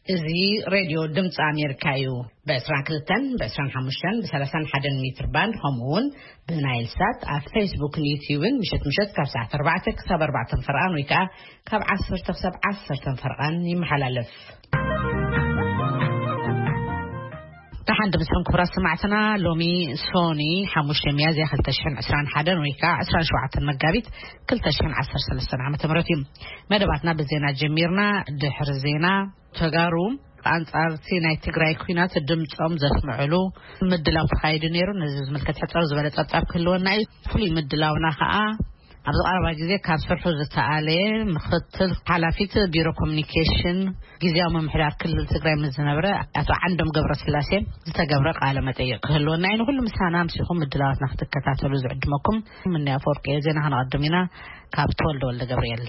እዚ ሬድዮ ድምፂ ኣሜሪካ እዩ። ብ22፣ ብ25፣ ብ31 ሜትር ባንድ፣ ከምኡ እውን ብናይል ሳት ኣብ ፌስቡክን ዩቲዩብን ምሸት ምሸት ካብ ሰዓት ኣርባዕተ ክሳብ ኣርባዕተ ፈርቓን ወይ ከዓ ካብ ዓሰርተ ክሳብ ዓሰርተ ፈርቓን ይመሓላለፍ። ደሓን ድምፅኩም ክቡራት ሰማዕትና፣ ሎሚ ሶኒ ሓሙሽተ ሚያዝያ ክልተ ሽሕን ዕስራን ሓደን ወይ ከዓ ዕስራን ሸውዓተን መጋቢት ክልተ ሽሕን ዓሰርተ ሰለስተን ዓመተ ምህረት እዩ። መደባትና ብዜና ጀሚርና። ድሕሪ ዜና፣ ተጋሩ ኣንጻር እቲ ናይ ትግራይ ኲናት ድምጾም ዘስምዕሉ ምድላው ተኻይዱ ነይሩ። ነዚ ዝምልከት ሕጽር ዝበለ ጸብጻብ ክህልወና እዩ። ፍሉይ ምድላውና ከኣ ኣብዚ ቀረባ ግዜ ካብ ስርሑ ዝተኣለየ ምኽትል ሓላፊት ቢሮ ኮሚኒኬሽን ግዜያዊ ምምሕዳር ክልል ትግራይ ምስ ዝነበረ ኣቶ ዓንዶም ገብረስላሴ ዝተገብረ ቃለ መጠይቕ ክህልወና እዩ። ንኹሉ ምሳና ኣምሲኹም ምድላዋትና ክትከታተሉ ዝዕድመኩም ምንያ ኣፈወርቂ እየ። ዜና ከነቐድም ኢና ካብ ተወልደ ወልደ ገብርኤል።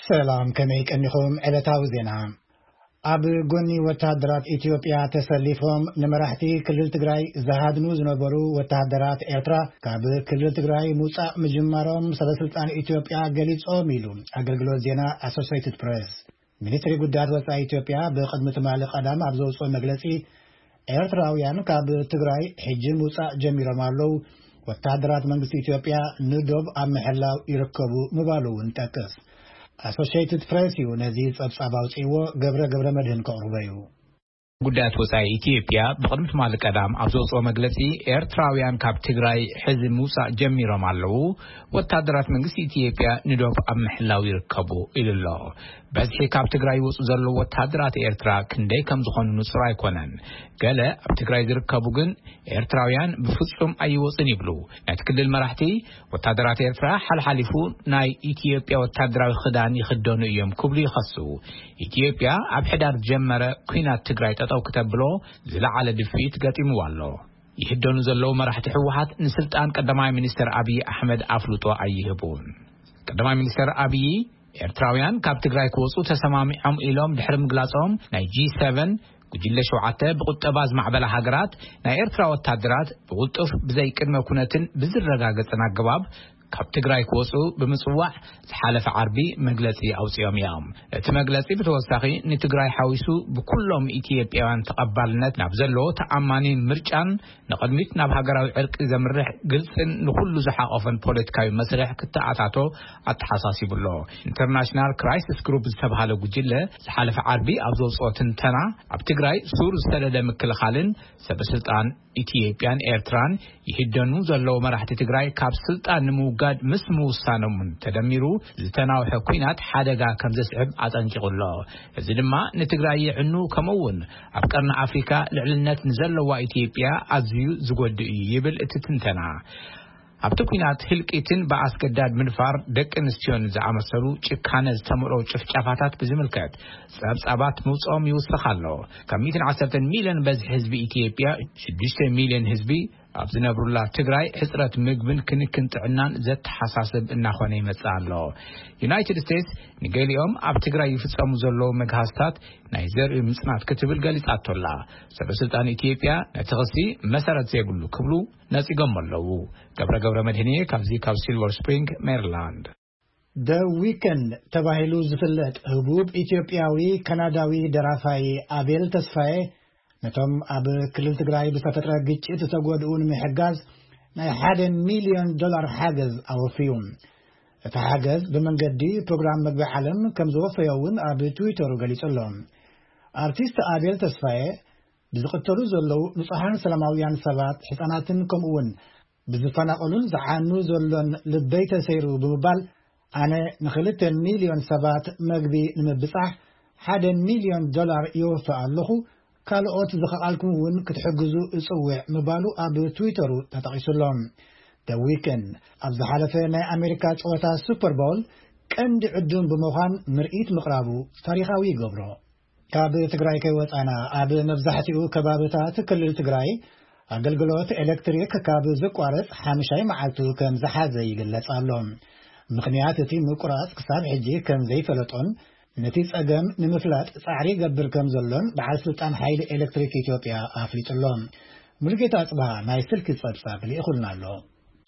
ሰላም፣ ከመይ ቀኒኹም? ዕለታዊ ዜና። ኣብ ጎኒ ወተሃደራት ኢትዮጵያ ተሰሊፎም ንመራሕቲ ክልል ትግራይ ዝሃድኑ ዝነበሩ ወተሃደራት ኤርትራ፣ ካብ ክልል ትግራይ ምውጻእ ምጅማሮም ሰበስልጣን ኢትዮጵያ ገሊጾም ኢሉ ኣገልግሎት ዜና ኣሶሴይትድ ፕሬስ። ሚኒስትሪ ጉዳያት ወጻኢ ኢትዮጵያ ብቕድሚ ትማሊ ቀዳም ኣብ ዘውጽኦ መግለጺ፣ ኤርትራውያን ካብ ትግራይ ሕጂ ምውጻእ ጀሚሮም ኣለዉ፣ ወተሃደራት መንግስቲ ኢትዮጵያ ንዶብ ኣብ ምሕላው ይርከቡ ምባሉ እውን ጠቅስ። ኣሶሺየትድ ፕሬስ እዩ ነዚ ጸብጻብ ኣውጺእዎ፣ ገብረ ገብረ መድህን ከቕርቦ እዩ። ጉዳያት ወጻኢ ኢትዮጵያ ብቕድሚ ትማሊ ቀዳም ኣብ ዘውጽኦ መግለጺ፣ ኤርትራውያን ካብ ትግራይ ሕዚ ምውጻእ ጀሚሮም ኣለዉ፣ ወታደራት መንግስቲ ኢትዮጵያ ንዶብ ኣብ ምሕላው ይርከቡ ኢሉ ኣሎ። በዝሒ ካብ ትግራይ ይወጹ ዘለዉ ወታደራት ኤርትራ ክንደይ ከም ዝኾኑ ንጹር ኣይኮነን። ገለ ኣብ ትግራይ ዝርከቡ ግን ኤርትራውያን ብፍጹም ኣይወጹን ይብሉ። ናይቲ ክልል መራሕቲ፣ ወታደራት ኤርትራ ሓልሓሊፉ ናይ ኢትዮጵያ ወታደራዊ ክዳን ይኽደኑ እዮም ክብሉ ይኸሱ። ኢትዮጵያ ኣብ ሕዳር ዝጀመረ ኲናት ትግራይ ጠጠው ክተብሎ ዝለዓለ ድፍኢት ገጢምዋ ኣሎ። ይህደኑ ዘለዉ መራሕቲ ህወሓት ንስልጣን ቀዳማይ ሚኒስትር ኣብይ ኣሕመድ ኣፍልጦ ኣይህቡን። ቀዳማይ ሚኒስትር ኣብይ፣ ኤርትራውያን ካብ ትግራይ ክወጹ ተሰማሚዖም ኢሎም ድሕሪ ምግላጾም፣ ናይ ጂ ሰቨን ጉጅለ ሸውዓተ ብቁጠባ ዝማዕበላ ሃገራት፣ ናይ ኤርትራ ወታደራት ብቁልጡፍ ብዘይ ቅድመ ኩነትን ብዝረጋገጸን ኣገባብ ካብ ትግራይ ክወጹ ብምጽዋዕ ዝሓለፈ ዓርቢ መግለጺ ኣውጺኦም እዮም። እቲ መግለጺ ብተወሳኺ ንትግራይ ሓዊሱ ብኩሎም ኢትዮጵያውያን ተቐባልነት ናብ ዘለዎ ተኣማኒ ምርጫን ንቕድሚት ናብ ሃገራዊ ዕርቂ ዘምርሕ ግልጽን ንኹሉ ዝሓቆፈን ፖለቲካዊ መስርሕ ክተኣታቶ ኣተሓሳሲቡ ኣሎ። ኢንተርናሽናል ክራይሲስ ግሩፕ ዝተባሃለ ጉጅለ ዝሓለፈ ዓርቢ ኣብ ዘውጽኦ ትንተና፣ ኣብ ትግራይ ሱር ዝሰደደ ምክልኻልን ሰበስልጣን ኢትዮጵያን ኤርትራን ይህደኑ ዘለዉ መራሕቲ ትግራይ ካብ ስልጣን ንምውጋድ ምስ ምውሳኖምን ተደሚሩ ዝተናውሐ ኲናት ሓደጋ ከም ዘስዕብ ኣጠንቂቑ ኣሎ። እዚ ድማ ንትግራይ የዕኑ፣ ከምኡ እውን ኣብ ቀርኒ ኣፍሪካ ልዕልነት ንዘለዋ ኢትዮጵያ ኣዝዩ ዝጎድእ እዩ ይብል እቲ ትንተና። ኣብቲ ኲናት ህልቂትን ብኣስገዳድ ምድፋር ደቂ ኣንስትዮን ዝኣመሰሉ ጭካነ ዝተመልኦ ጭፍጨፋታት ብዝምልከት ጸብጻባት ምውጽኦም ይውስኽ ኣሎ። ካብ ሚእትን ዓሰርተን ሚልዮን በዝሒ ህዝቢ ኢትዮጵያ፣ ሽዱሽተ ሚልዮን ህዝቢ ኣብ ዝነብሩላ ትግራይ ሕጽረት ምግብን ክንክን ጥዕናን ዘተሓሳስብ እናኾነ ይመጽእ ኣሎ። ዩናይትድ ስቴትስ ንገሊኦም ኣብ ትግራይ ይፍጸሙ ዘለዉ መግሃስታት ናይ ዘርኢ ምጽናት ክትብል ገሊጻቶ ኣላ። ሰበስልጣን ኢትዮጵያ ነቲ ክሲ መሰረት ዘይብሉ ክብሉ ነጺጎም ኣለዉ። ገብረ ገብረ መድህን እየ ካብዚ ካብ ሲልቨር ስፕሪንግ ሜሪላንድ። ደ ዊከንድ ተባሂሉ ዝፍለጥ ህቡብ ኢትዮጵያዊ ካናዳዊ ደራፋይ ኣቤል ተስፋዬ፣ ነቶም ኣብ ክልል ትግራይ ብዝተፈጥረ ግጭት ዝተጎድኡ ንምሕጋዝ ናይ ሓደ ሚልዮን ዶላር ሓገዝ ኣወፍዩ። እቲ ሓገዝ ብመንገዲ ፕሮግራም መግቢ ዓለም ከም ዝወፈዮ እውን ኣብ ትዊተሩ ገሊጹ ኣሎ። ኣርቲስት ኣቤል ተስፋዬ፣ ብዝቕተሉ ዘለዉ ንጹሓን ሰላማውያን ሰባት፣ ህጻናትን ከምኡ እውን ብዝፈናቐሉን ዝዓኑ ዘሎን ልበይ ተሰይሩ ብምባል፣ ኣነ ንክልተ ሚልዮን ሰባት መግቢ ንምብጻሕ ሓደ ሚልዮን ዶላር የወፍእ ኣለኹ፣ ካልኦት ዝኸኣልኩም እውን ክትሕግዙ እጽውዕ ምባሉ ኣብ ትዊተሩ ተጠቒሱ ኣሎ። ደ ዊከንድ ኣብ ዝሓለፈ ናይ ኣሜሪካ ጸወታ ሱፐር ቦል ቀንዲ ዕዱም ብምዃን ምርኢት ምቕራቡ ታሪኻዊ ይገብሮ። ካብ ትግራይ ከይወጻና፣ ኣብ መብዛሕትኡ ከባብታት ክልል ትግራይ ኣገልግሎት ኤሌክትሪክ ካብ ዝቋረጽ ሓምሻይ መዓልቱ ከም ዝሓዘ ይግለጽ ኣሎ። ምኽንያት እቲ ምቁራጽ ክሳብ ሕጂ ከም ዘይፈለጦን ነቲ ጸገም ንምፍላጥ ጻዕሪ ይገብር ከም ዘሎን በዓል ስልጣን ሓይሊ ኤሌክትሪክ ኢትዮጵያ ኣፍሊጡ ኣሎ። ሙሉጌታ ኣጽብሃ ናይ ስልኪ ጸብጻብ ልኢኹልና ኣሎ።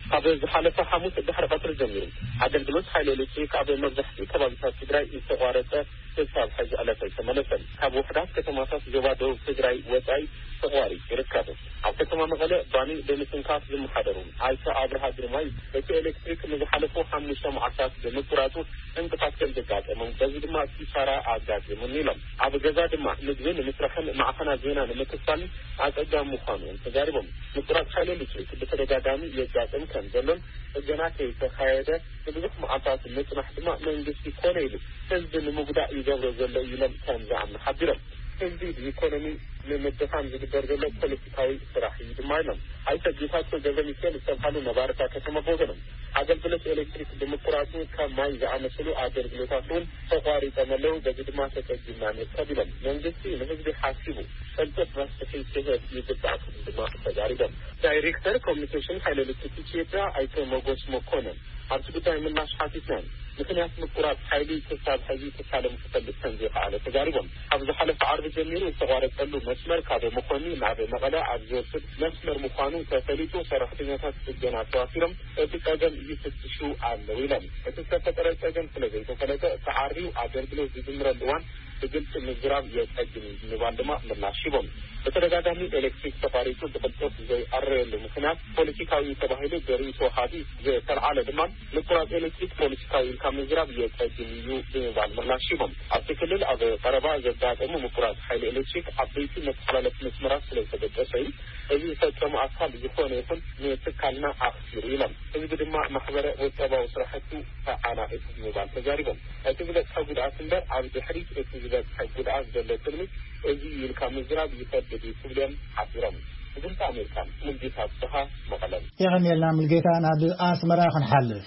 ካብ ዝሓለፈ ሓሙስ ድሕሪ ቀትሪ ጀሚሩ ኣገልግሎት ሓይሊ ኤሌክትሪክ ኣብ መብዛሕትኡ ከባቢታት ትግራይ ዝተቋረጸ ክሳብ ሕዚ ዕለት ኣይተመለሰን። ካብ ውሕዳት ከተማታት ዞባ ደቡብ ትግራይ ወጻኢ ተቋሪጹ ይርከብ። ኣብ ከተማ መቐለ ባኒ ብምትንካፍ ዝመሓደሩ ኣይተ ኣብርሃ ግርማይ፣ እቲ ኤሌክትሪክ ንዝሓለፉ ሓሙሽተ መዓልታት ብምቁራጹ ዕንቅፋት ከም ዘጋጠሞም፣ በዚ ድማ ኪሳራ ኣጋጢሙን ኢሎም። ኣብ ገዛ ድማ ምግቢ ንምስራሕን ማዕኸናት ዜና ንምክፋልን ኣጸጋሚ ምዃኑ ተዛሪቦም። ምቁራጽ ሓይሊ ኤሌክትሪክ ብተደጋጋሚ የጋጥም ከም ዘሎን፣ ጽገና ከይተኻየደ ንብዙሕ መዓልታት ምጽናሕ ድማ መንግስቲ ኮነ ኢሉ ህዝቢ ንምጉዳእ ይገብሮ ዘሎ እዩ ኢሎም ከም ዝኣምኑ ሓቢሮም። ህዝቢ ብኢኮኖሚ ንምድኻም ዝግበር ዘሎ ፖለቲካዊ ስራሕ እዩ ድማ ኢሎም። ኣይተ ጌታቸው ገብረ ሚካኤል ዝተብሃሉ ነባርታ ከተማ ብወገኖም፣ ኣገልግሎት ኤሌክትሪክ ብምቁራጹ ከም ማይ ዝኣመሰሉ ኣገልግሎታት እውን ተቋሪጾም ኣለዉ። በዚ ድማ ተጸጊምና ንርከብ ኢሎም። መንግስቲ ንህዝቢ ሓሲቡ ቅልጡፍ መፍትሒ ክህብ ይግባእ ክብል ድማ ተዛሪቦም። ዳይሬክተር ኮሚኒኬሽን ሓይሊ ኤሌክትሪክ ኢትዮጵያ ኣይተ ሞጎስ መኮነን፣ ኣብቲ ጉዳይ ምላሽ ሓቲትናን፣ ምኽንያት ምቁራጽ ሓይሊ ክሳብ ሕዚ ትካሎም ክፈልጥ ከም ዘይከኣለ ተዛሪቦም። ካብ ዝሓለፈ ዓርቢ ጀሚሩ ዝተቋረጸሉ መስመር ካብ መኾኒ ናብ መቐለ ኣብ ዝወስድ መስመር ምዃኑ ተፈሊጡ፣ ሰራሕተኛታት ጽገና ተዋፊሮም እቲ ጸገም ይፍትሹ ኣለዉ ኢሎም። እቲ ዝተፈጠረ ጸገም ስለ ዘይተፈለጠ፣ ተዓርዩ ኣገልግሎት ዝጅምረሉ እዋን ብግልጺ ምዝራብ የጸግም እዩ ብምባል ድማ ምላሽ ሂቦም። ብተደጋጋሚ ኤሌክትሪክ ተቋሪጹ ብቕልጡፍ ዘይዕረየሉ ምኽንያት ፖለቲካዊ ተባሂሉ ብርእይቶ ወሃቢ ዝተልዓለ ድማ፣ ምቁራጽ ኤሌክትሪክ ፖለቲካዊ ኢልካ ምዝራብ የጸግም እዩ ብምባል ምላሽ ሂቦም። ኣብቲ ክልል ኣብ ቀረባ ዘጋጠሙ ምቁራጽ ሓይሊ ኤሌክትሪክ ዓበይቲ መተሓላለፊ መስመራት ስለ ዝተበጠሰ እዩ። እዚ ዝፈጸሙ ኣካል ዝኾነ ይኹን ንትካልና ኣኽሲሩ ኢሎም። ህዝቢ ድማ ማሕበረ ቁጠባዊ ስራሕቱ ተዓናቒፉ ብምባል ተዛሪቦም። እቲ ዝበጽሐ ጉድኣት እምበር ኣብ ድሕሪት እቲ ዝበጽሐ ጉድኣት ዘሎ ትልሚ እዚ እዩ ኢልካ ምዝራብ ይኸብድ እዩ ክብሉ እዮም ሓቢሮም። ድምፂ ኣሜሪካ፣ ሙልጌታ ኣብጽሃ፣ መቐለ። የቐንየልና ሙልጌታ። ናብ ኣስመራ ክንሓልፍ።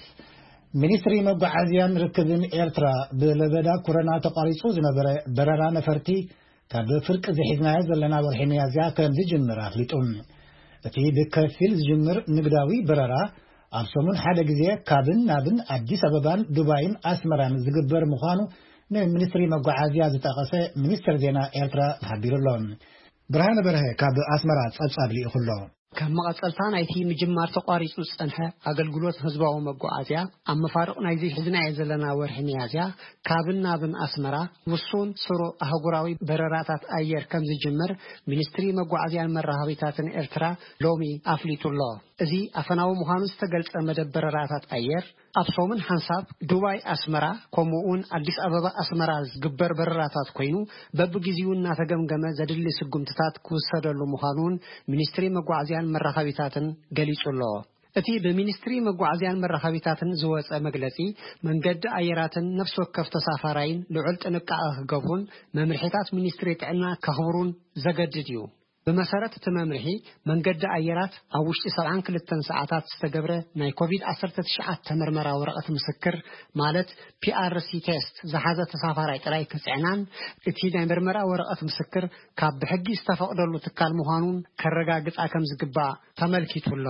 ሚኒስትሪ መጓዓዝያን ርክብን ኤርትራ፣ ብለበዳ ኮሮና ተቋሪጹ ዝነበረ በረራ ነፈርቲ ካብ ፍርቂ ዝሒዝናዮ ዘለና ወርሒ ሚያዝያ ከም ዝጅምር ኣፍሊጡ። እቲ ብከፊል ዝጅምር ንግዳዊ በረራ ኣብ ሰሙን ሓደ ግዜ ካብን ናብን ኣዲስ ኣበባን ዱባይን ኣስመራን ዝግበር ምዃኑ ንሚኒስትሪ መጓዓዝያ ዝጠቐሰ ሚኒስትር ዜና ኤርትራ ሓቢሩ ኣሎ። ብርሃነ በርሀ ካብ ኣስመራ ጸብጻብ ልኢኹ ኣሎ። ከም መቐጸልታ ናይቲ ምጅማር ተቋሪጹ ዝጸንሐ ኣገልግሎት ህዝባዊ መጓዓዝያ፣ ኣብ መፋርቕ ናይዚ ሒዝናዮ ዘለና ወርሒ ሚያዝያ፣ ካብን ናብን ኣስመራ ውሱን ስሩዕ ኣህጉራዊ በረራታት ኣየር ከም ዝጅምር ሚኒስትሪ መጓዓዝያን መራኸቢታትን ኤርትራ ሎሚ ኣፍሊጡ ኣሎ። እዚ ኣፈናዊ ምዃኑ ዝተገልጸ መደብ በረራታት ኣየር፣ ኣብ ሰሙን ሓንሳብ ዱባይ ኣስመራ፣ ከምኡ እውን ኣዲስ ኣበባ ኣስመራ ዝግበር በረራታት ኮይኑ፣ በብግዜኡ እናተገምገመ ዘድሊ ስጉምትታት ክውሰደሉ ምዃኑ እውን ሚኒስትሪ መጓዓዝያን መራኸቢታትን ገሊጹ ኣሎ። እቲ ብሚኒስትሪ መጓዓዝያን መራኸቢታትን ዝወጸ መግለጺ፣ መንገዲ ኣየራትን ነፍሲ ወከፍ ተሳፋራይን ልዑል ጥንቃቐ ክገብሩን መምርሒታት ሚኒስትሪ ጥዕና ከኽብሩን ዘገድድ እዩ። ብመሰረት እቲ መምርሒ፣ መንገዲ ኣየራት ኣብ ውሽጢ ሰብዓን ክልተን ሰዓታት ዝተገብረ ናይ ኮቪድ ዓሰርተ ትሽዓተ መርመራ ወረቐት ምስክር፣ ማለት ፒ ኣር ሲ ቴስት ዝሓዘ ተሳፋራይ ጥራይ ክጽዕናን፣ እቲ ናይ መርመራ ወረቐት ምስክር ካብ ብሕጊ ዝተፈቕደሉ ትካል ምዃኑን ከረጋግጻ ከም ዝግባእ ተመልኪቱ ኣሎ።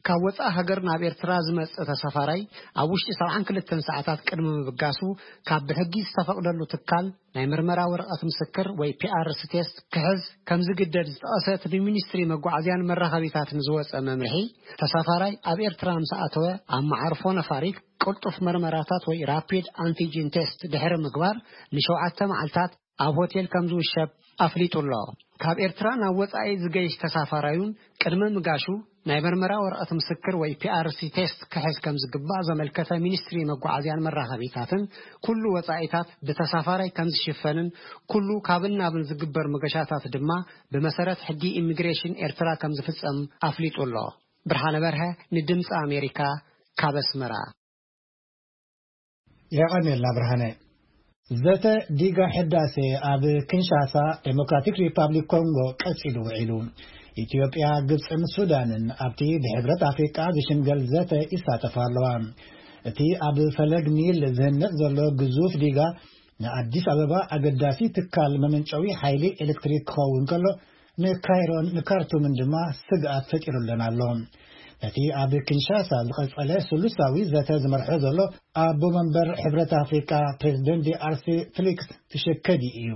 ካብ ወጻኢ ሃገር ናብ ኤርትራ ዝመጽእ ተሳፋራይ፣ ኣብ ውሽጢ ሰብዓን ክልተን ሰዓታት ቅድሚ ምብጋሱ፣ ካብ ብሕጊ ዝተፈቕደሉ ትካል ናይ መርመራ ወረቐት ምስክር ወይ ፒ ኣር ሲ ቴስት ክሕዝ ከም ዝግደድ ዝጠቐሰ እቲ ብሚኒስትሪ መጓዓዝያን መራኸቢታትን ዝወጸ መምርሒ፣ ተሳፋራይ ኣብ ኤርትራ ምስ ኣተወ፣ ኣብ መዓርፎ ነፋሪት ቅልጡፍ መርመራታት ወይ ራፒድ ኣንቲጂን ቴስት ድሕሪ ምግባር፣ ንሸውዓተ መዓልታት ኣብ ሆቴል ከም ዝውሸብ ኣፍሊጡ ኣሎ። ካብ ኤርትራ ናብ ወጻኢ ዝገይሽ ተሳፋራዩን ቅድሚ ምጋሹ ናይ መርመራ ወረቐት ምስክር ወይ ፒ ኣር ሲ ቴስት ክሕዝ ከም ዝግባእ ዘመልከተ ሚኒስትሪ መጓዓዝያን መራኸቢታትን፣ ኩሉ ወጻኢታት ብተሳፋራይ ከም ዝሽፈንን ኩሉ ካብን ናብን ዝግበር መገሻታት ድማ ብመሰረት ሕጊ ኢሚግሬሽን ኤርትራ ከም ዝፍጸም ኣፍሊጡ ኣሎ። ብርሃነ በርሀ ንድምጺ ኣሜሪካ ካብ ኣስመራ። የቐንየልና ብርሃነ። ዘተ ዲጋ ሕዳሴ ኣብ ኪንሻሳ፣ ዴሞክራቲክ ሪፓብሊክ ኮንጎ ቀጺሉ ውዒሉ። ኢትዮጵያ፣ ግብጽን ሱዳንን ኣብቲ ብሕብረት ኣፍሪቃ ዝሽምገል ዘተ ይሳተፋ ኣለዋ። እቲ ኣብ ፈለግ ኒል ዝህነጽ ዘሎ ግዙፍ ዲጋ ንኣዲስ ኣበባ ኣገዳሲ ትካል መመንጨዊ ሓይሊ ኤሌክትሪክ ክኸውን ከሎ፣ ንካይሮን ንካርቱምን ድማ ስግኣት ፈጢሩለን ኣሎ። ነቲ ኣብ ኪንሻሳ ዝቐጸለ ስሉሳዊ ዘተ ዝመርሖ ዘሎ ኣቦ መንበር ሕብረት ኣፍሪቃ ፕሬዚደንት ዲኣርሲ ፊሊክስ ትሸከዲ እዩ።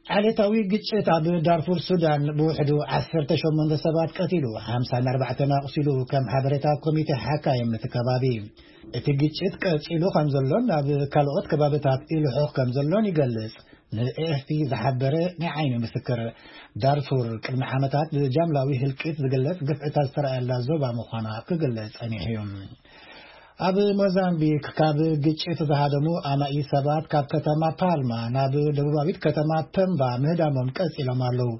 ዓሌታዊ ግጭት ኣብ ዳርፉር ሱዳን ብውሕዱ ዓሰርተ ሸሞንተ ሰባት ቀቲሉ፣ ሓምሳ ኣርባዕተ ኣቑሲሉ፣ ከም ሓበሬታ ኮሚቴ ሓካይም እቲ ከባቢ። እቲ ግጭት ቀጺሉ ከም ዘሎን ኣብ ካልኦት ከባብታት ይልሑኽ ከም ዘሎን ይገልጽ። ንኤኤፍፒ ዝሓበረ ናይ ዓይኒ ምስክር። ዳርፉር ቅድሚ ዓመታት ብጃምላዊ ህልቂት ዝግለጽ ግፍዕታት ዝተረኣየላ ዞባ ምዃና ክግለጽ ጸኒሑ እዩ። ኣብ ሞዛምቢክ ካብ ግጭት ዝሃደሙ ኣማኢ ሰባት ካብ ከተማ ፓልማ ናብ ደቡባዊት ከተማ ፐምባ ምህዳሞም ቀጺሎም ኣለዉ።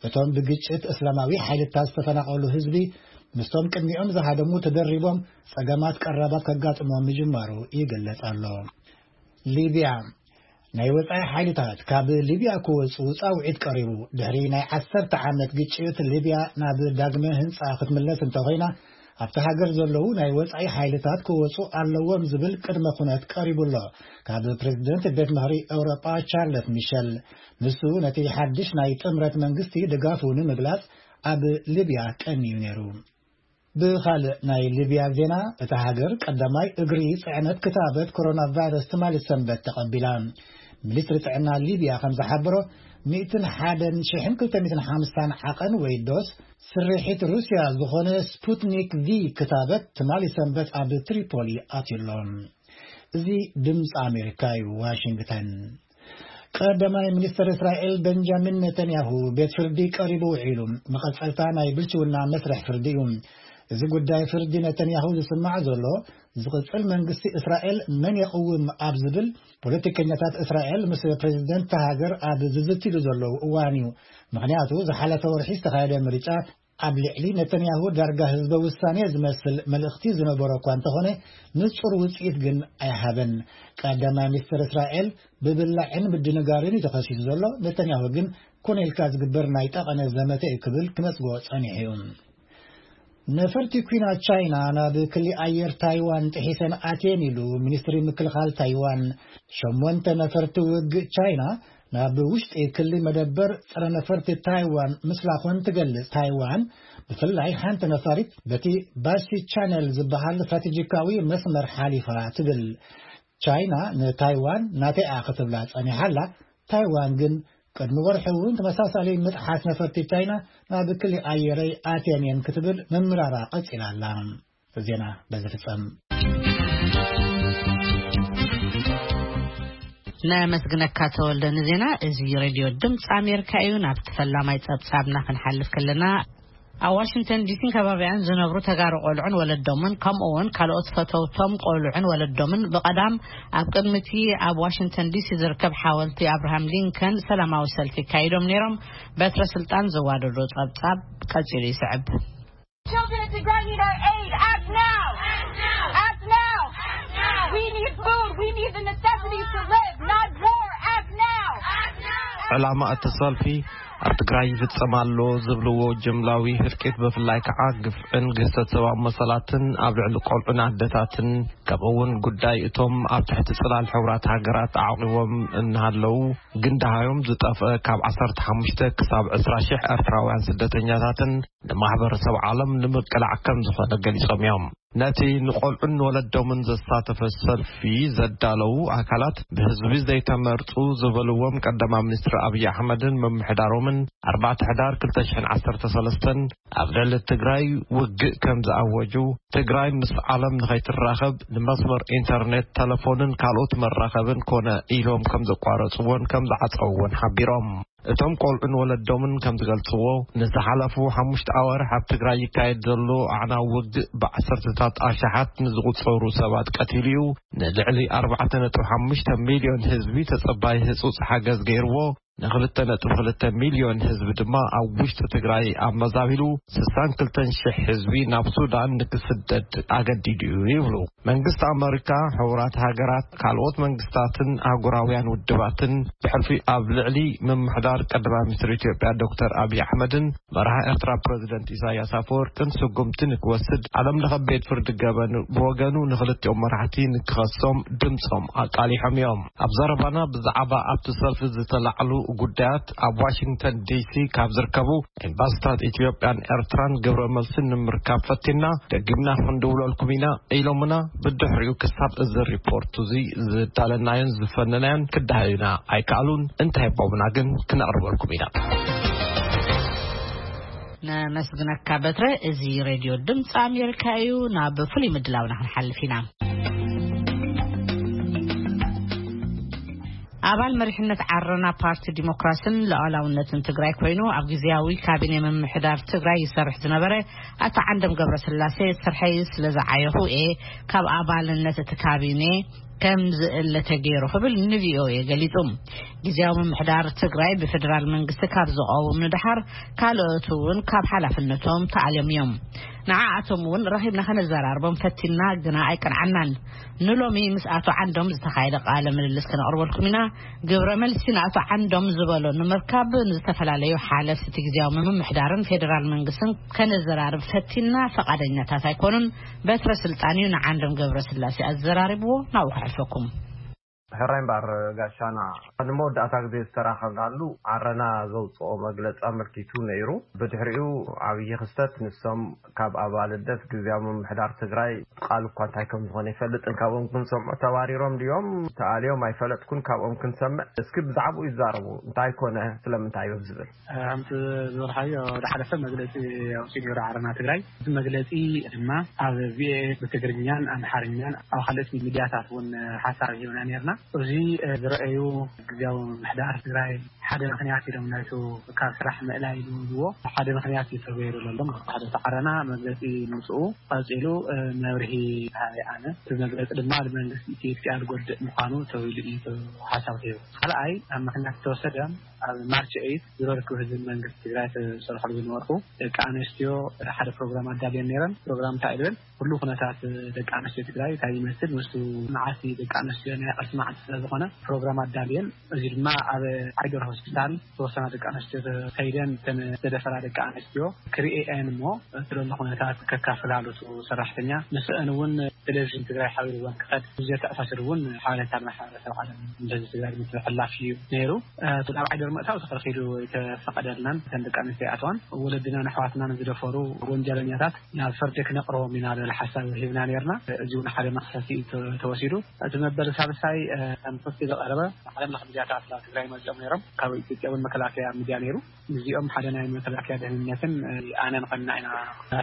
እቶም ብግጭት እስላማዊ ሓይልታት ዝተፈናቐሉ ህዝቢ ምስቶም ቅድሚኦም ዝሃደሙ ተደሪቦም ጸገማት ቀረባት ከጋጥሞም ምጅማሩ ይግለጽ ኣሎ። ሊብያ፣ ናይ ወጻኢ ሓይልታት ካብ ሊብያ ክወጹ ጻውዒት ቀሪቡ። ድሕሪ ናይ ዓሰርተ ዓመት ግጭት ሊብያ ናብ ዳግመ ህንጻ ክትምለስ እንተኾይና፣ ኣብቲ ሃገር ዘለዉ ናይ ወጻኢ ሓይልታት ክወጹ ኣለዎም ዝብል ቅድመ ኩነት ቀሪቡ ኣሎ ካብ ፕሬዝደንት ቤት ምኽሪ ኤውሮጳ ቻርለስ ሚሸል። ንሱ ነቲ ሓድሽ ናይ ጥምረት መንግስቲ ድጋፉ ንምግላጽ ኣብ ሊብያ ቀንዩ ነይሩ። ብኻልእ ናይ ሊብያ ዜና፣ እታ ሃገር ቀዳማይ እግሪ ጽዕነት ክታበት ኮሮና ቫይረስ ትማሊ ሰንበት ተቐቢላ። ሚኒስትሪ ጥዕና ሊብያ ከም ዝሓበሮ፣ ሚእትን ሓደን ሽሕን ክልተ ሚእትን ሓምሳን ዓቐን ወይ ዶስ ስርሒት ሩስያ ዝኾነ ስፑትኒክ ቪ ክታበት ትማሊ ሰንበት ኣብ ትሪፖሊ ኣትዩሎ። እዚ ድምፂ ኣሜሪካ እዩ፣ ዋሽንግተን። ቀዳማይ ሚኒስትር እስራኤል ቤንጃሚን ነተንያሁ ቤት ፍርዲ ቀሪቡ ውዒሉ። መቐጸልታ ናይ ብልሽውና መስርሕ ፍርዲ እዩ። እዚ ጉዳይ ፍርዲ ነተንያሁ ዝስማዕ ዘሎ፣ ዝቕጽል መንግስቲ እስራኤል መን የቕውም ኣብ ዝብል ፖለቲከኛታት እስራኤል ምስ ፕሬዝደንት እታ ሃገር ኣብ ዝዝትሉ ዘለዉ እዋን እዩ። ምኽንያቱ፣ ዝሓለፈ ወርሒ ዝተኻየደ ምርጫ ኣብ ልዕሊ ነተንያሁ ዳርጋ ህዝበ ውሳኔ ዝመስል መልእኽቲ ዝነበሮ እኳ እንተኾነ፣ ንጹር ውጽኢት ግን ኣይሃበን። ቀዳማይ ሚኒስትር እስራኤል ብብላዕን ምድንጋርን እዩ ተኸሲሱ ዘሎ። ነተንያሁ ግን ኮነ ኢልካ ዝግበር ናይ ጠቐነ ዘመተ እዩ ክብል ክነጽጎ ጸኒሑ እዩ። ነፈርቲ ኲናት ቻይና ናብ ክሊ ኣየር ታይዋን ጥሒሰን ኣትየን ኢሉ ሚኒስትሪ ምክልኻል ታይዋን። ሸሞንተ ነፈርቲ ውግእ ቻይና ናብ ውሽጢ ክሊ መደበር ጸረ ነፈርቲ ታይዋን ምስላኾን ትገልጽ። ታይዋን ብፍላይ ሓንቲ ነፋሪት በቲ ባሲ ቻነል ዝበሃል ስትራቴጂካዊ መስመር ሓሊፋ ትብል። ቻይና ንታይዋን ናተይኣ ክትብላ ጸኒሓ ኣላ። ታይዋን ግን ቅድሚ ወርሒ እውን ተመሳሳሊ ምጥሓስ ነፈርቲ ቻይና ናብ ክሊ ኣየረይ ኣትየን እየን ክትብል ምምራራ ቀጺላ ኣላ። ዜና በዚ ፍጸም። ነመስግነካ ተወልደ ንዜና። እዚ ሬድዮ ድምፂ ኣሜሪካ እዩ። ናብቲ ፈላማይ ጸብጻብና ክንሓልፍ ከለና፣ ኣብ ዋሽንግተን ዲሲን ከባቢያን ዝነብሩ ተጋሩ ቆልዑን ወለዶምን፣ ከምኡ እውን ካልኦት ፈተውቶም ቆልዑን ወለዶምን ብቐዳም ኣብ ቅድሚ እቲ ኣብ ዋሽንግተን ዲሲ ዝርከብ ሓወልቲ ኣብርሃም ሊንከን ሰላማዊ ሰልፊ ኣካይዶም ነይሮም። በትረ ስልጣን ዘዋደዶ ጸብጻብ ቀጺሉ ይስዕብ። Children of Tigray need our aid. Act now. Act now. We need food. We need the necessities to live, not war. Act now. ዕላማ እቲ ሰልፊ ኣብ ትግራይ ይፍጸም ኣሎ ዝብልዎ ጅምላዊ ህልቂት፣ ብፍላይ ከዓ ግፍዕን ግህሰት ሰብኣዊ መሰላትን ኣብ ልዕሊ ቆልዑን ኣደታትን፣ ከምኡ እውን ጉዳይ እቶም ኣብ ትሕቲ ጽላል ሕቡራት ሃገራት ተዓቂቦም እናሃለዉ ግን ደሃዮም ዝጠፍአ ካብ ዓሰርተ ሓሙሽተ ክሳብ ዕስራ ሺሕ ኤርትራውያን ስደተኛታትን ንማሕበረሰብ ዓለም ንምቅላዕ ከም ዝኾነ ገሊጾም እዮም። ነቲ ንቆልዑን ወለዶምን ዘሳተፈ ሰልፊ ዘዳለዉ ኣካላት፣ ብህዝቢ ዘይተመርጹ ዝበልዎም ቀዳማይ ሚኒስትር ኣብይ ኣሕመድን ምምሕዳሮምን ኣርባዕተ ሕዳር ክልተ ሽሕን ዓሰርተ ሰለስተን ኣብ ልዕሊ ትግራይ ውግእ ከም ዝኣወጁ፣ ትግራይ ምስ ዓለም ንኸይትራኸብ ንመስመር ኢንተርኔት፣ ተለፎንን ካልኦት መራኸብን ኮነ ኢሎም ከም ዘቋረጽዎን ከም ዝዓጸውዎን ሓቢሮም። እቶም ቆልዑን ወለዶምን ከም ዝገልጽዎ፣ ንዝሓለፉ ሓሙሽተ ኣዋርሕ ኣብ ትግራይ ይካየድ ዘሎ ኣዕናዊ ውግእ ብዓሰርተታት ኣሽሓት ንዝቑጸሩ ሰባት ቀቲሉ እዩ። ንልዕሊ ኣርባዕተ ነጥቢ ሓሙሽተ ሚልዮን ህዝቢ ተጸባይ ህጹጽ ሓገዝ ገይርዎ፣ ንክልተ ነጥቢ ክልተ ሚልዮን ህዝቢ ድማ ኣብ ውሽጢ ትግራይ ኣመዛቢሉ ስሳን ክልተን ሽሕ ህዝቢ ናብ ሱዳን ንክስደድ ኣገዲዱ እዩ ይብሉ። መንግስቲ ኣመሪካ፣ ሕቡራት ሃገራት፣ ካልኦት መንግስታትን ኣህጉራውያን ውድባትን ብሕልፊ ኣብ ልዕሊ ምምሕዳር ቀዳማይ ሚኒስትር ኢትዮጵያ ዶክተር ኣብይ ኣሕመድን መራሒ ኤርትራ ፕረዚደንት ኢሳያስ ኣፈወርቅን ስጉምቲ ንክወስድ ዓለም ለኸ ቤት ፍርዲ ገበን ብወገኑ ንክልቲኦም መራሕቲ ንክኸሶም ድምፆም ኣቃሊሖም እዮም። ኣብ ዘረባና ብዛዕባ ኣብቲ ሰልፊ ዝተላዕሉ ጉዳያት ኣብ ዋሽንግተን ዲሲ ካብ ዝርከቡ ኤምባሲታት ኢትዮጵያን ኤርትራን ግብረ መልሲ ንምርካብ ፈቲና፣ ደጊምና ክንድውለልኩም ኢና ኢሎምና። ብድሕሪኡ ክሳብ እዚ ሪፖርት እዚ ዝዳለናዮን ዝፈነናዮን ክዳሃዩና ኣይከኣሉን። እንታይ ቦምና ግን ክነቕርበልኩም ኢና። ነመስግነካ በትረ። እዚ ሬድዮ ድምፂ ኣሜሪካ እዩ። ናብ ፍሉይ ምድላውና ክንሓልፍ ኢና። ኣባል መሪሕነት ዓረና ፓርቲ ዲሞክራሲን ሉዓላውነትን ትግራይ ኮይኑ ኣብ ግዜያዊ ካቢኔ ምምሕዳር ትግራይ ይሰርሕ ዝነበረ ኣቶ ዓንዶም ገብረስላሴ፣ ስርሐይ ስለ ዝዓየኹ እየ ካብ ኣባልነት እቲ ካቢኔ ከም ዝእለ ተገይሩ ክብል ንቪኦኤ ገሊጹ። ግዜያዊ ምምሕዳር ትግራይ ብፌደራል መንግስቲ ካብ ዝቐውም ንደሓር ካልኦት እውን ካብ ሓላፍነቶም ተኣልዮም እዮም። ንዓኣቶም እውን ረኺብና ከነዘራርቦም ፈቲና ግና ኣይቀንዓናን። ንሎሚ ምስ ኣቶ ዓንዶም ዝተኻየደ ቃለ ምልልስ ከነቕርበልኩም ኢና። ግብረ መልሲ ንኣቶ ዓንዶም ዝበሎ ንምርካብ ንዝተፈላለዩ ሓለፍቲ ግዜያዊ ምምሕዳርን ፌደራል መንግስትን ከነዘራርብ ፈቲና፣ ፈቓደኛታት ኣይኮኑን። በትረ ስልጣን እዩ ንዓንዶም ገብረስላሴ ኣዘራሪብዎ። ናብኡ ከሕልፈኩም። ሕራይ እምበኣር ጋሻና፣ ንመወዳእታ ግዜ ዝተራኸብናሉ ዓረና ዘውፅኦ መግለፂ ኣመልኪቱ ነይሩ። ብድሕሪኡ ዓብዪ ክስተት፣ ንሶም ካብ ኣባልነት ግዜያዊ ምምሕዳር ትግራይ ቃል እኳ እንታይ ከም ዝኾነ ይፈልጥን፣ ካብኦም ክንሰምዖ ተባሪሮም ድዮም ተኣልዮም ኣይፈለጥኩን። ካብኦም ክንሰምዕ እስኪ ብዛዕባኡ ይዛረቡ፣ እንታይ ኮነ ስለምንታይ እዮም ዝብል። ከምቲ ዝበልካዮ፣ ዝሓለፈ መግለፂ ኣውፂኡ ነይሩ ዓረና ትግራይ። እቲ መግለፂ ድማ ኣብ ቪኦኤ ብትግርኛን ኣምሓርኛን ኣብ ካልኦት ሚድያታት እውን ሓሳብ ሂብና ነይርና። እዚ ዝረኣዩ ግዜያዊ ምምሕዳር ትግራይ ሓደ ምኽንያት ኢሎም ናይቱ ካብ ስራሕ ምእላይ ኢሉ ዝዎ ሓደ ምኽንያት እዩ ተገይሩ ዘሎ። ሓደ ዓረና መግለፂ ምውፅኡ ቀፂሉ መብርሂ ሃበ ኣነ። እቲ መግለፂ ድማ ንመንግስቲ ኢትዮጵያ ዝጎድእ ምዃኑ ተባሂሉ እዩ ሓሳብ ሂቡ። ካልኣይ ኣብ ምኽንያት ዝተወሰደ ኣብ ማርች ኤይት ዝረርክብ ህዝቢ መንግስቲ ትግራይ ተሰርሐሉ ዝነበርኩ ደቂ ኣንስትዮ ሓደ ፕሮግራም ኣዳልየን ነይረን። ፕሮግራም እንታይ ኢለን? ኩሉ ኩነታት ደቂ ኣንስትዮ ትግራይ እንታይ ይመስል ምስቱ መዓልቲ ደቂ ኣንስትዮ ናይ ቃልሲ መዓልቲ ስለ ዝኾነ ፕሮግራም ኣዳልየን። እዚ ድማ ኣብ ዓይደር ሆስፒታል ዝተወሰና ደቂ ኣንስትዮ ከይደን እተን ዝተደፈራ ደቂ ኣንስትዮ ክርእየን እሞ እቲ ዘሎ ኩነታት ከካፍላሉ ሰራሕተኛ ምስአን እውን ቴሌቪዥን ትግራይ ሓቢርወን ክኸድ ብዘተኣሳስር እውን ሓበሬታ ማሕበረሰብ ዓለም እንደዚ ትግራይ ምትሕልላፍ እዩ ነይሩ። ናብ ዓይደር ምእታው ተኸልኪሉ ኣይተፈቐደልናን። እተን ደቂ ኣንስትዮ ይኣትዋን ወለድናን ኣሕዋትናን ዝደፈሩ ወንጀለኛታት ናብ ፍርዲ ክነቕርቦም ኢና ዝብል ሓሳብ ሂብና ነይርና። እዚ እውን ሓደ መኽሰሲ ተወሲዱ። እቲ መበል ሳልሳይ ከም ክሲ ዝቐረበ ዓለም ለኸ ሚድያታት ናብ ትግራይ መፂኦም ነይሮም። ካብ ኢትዮጵያ እውን መከላከያ ሚድያ ነይሩ። እዚኦም ሓደ ናይ መከላከያ ደህንነትን ኣነን ኮይንና ኢና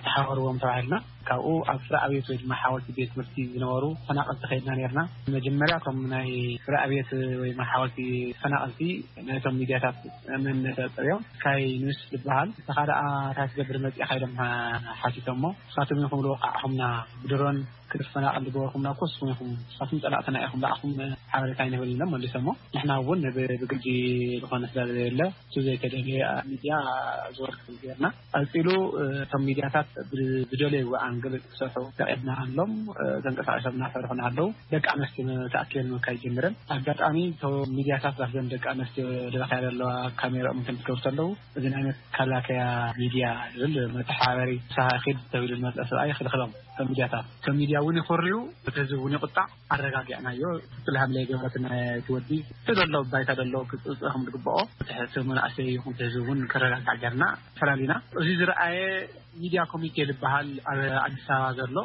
ተሓወርዎም ተባሂልና። ካብኡ ኣብ ፍረ ኣብየት ወይ ድማ ሓወልቲ ቤት ትምህርቲ ዝነበሩ ተፈናቐልቲ ከይድና ነርና። መጀመርያ እቶም ናይ ፍረ ኣብየት ወይ ሓወልቲ ተፈናቐልቲ ነቶም ሚድያታት መንነት ኣፀብዮም፣ ስካይ ኒውስ ዝበሃል፣ ንስኻ ደኣ እንታይ ትገብር መፂእኻ ኢሎም ሓቲቶሞ። ንስኻትኩም ኢኹም ልወቃዕኹምና፣ ብድሮን ክትፈናቐል ዝገበርኩምና እኮ ንስኹም ኢኹም፣ ንስኻትኩም ፀላእትና ኢኹም፣ ብኣኹም ሓበሬታ ኣይንህብን ኢሎም መሊሶሞ። ንሕና እውን ብግዲ ዝኾነ ስለ ዘየለ እሱ ዘይተደልየ ሚድያ ዝወርክ ጌርና። ቀፂሉ እቶም ሚድያታት ዝደለይዎ ኣንግል ክሰርሑ ፈቒድና ኣሎም። ተንቀሳቂሶም እናሰርሑና ኣለዉ። ደቂ ኣንስትዮ ተኣኪበን ምካይ ጀምረን። ኣጋጣሚ እቶም ሚድያታት ዛፍዘን ደቂ ኣንስትዮ ደረኽያ ዘለዋ ካሜራኦም እንትን ትገብሩ ኣለዉ። እዚ ናይ መከላከያ ሚድያ ዝብል መተሓባበሪ ሳሃ ኪድ ተብሉ ዝመፀ ሰብኣይ ክልክሎም እቶም ሚድያታት። እቶም ሚድያ እውን ይኮርዩ፣ እቲ ህዝቢ እውን ይቁጣዕ። ኣረጋጊዕናዮ። ትክክል ሃምለ የገበረትና እቲ ወዲ። እቲ ዘሎ ባይታ ዘሎ ክፅፅእ ከም ዝግብኦ፣ እቲ ሕስብ መናእሰይ ይኹን እቲ ህዝቢ እውን ከረጋጋዕ ጌርና ፈላሊና። እዚ ዝረኣየ ሚድያ ኮሚቴ ዝበሃል ኣብ ኣዲስ ኣበባ ዘሎ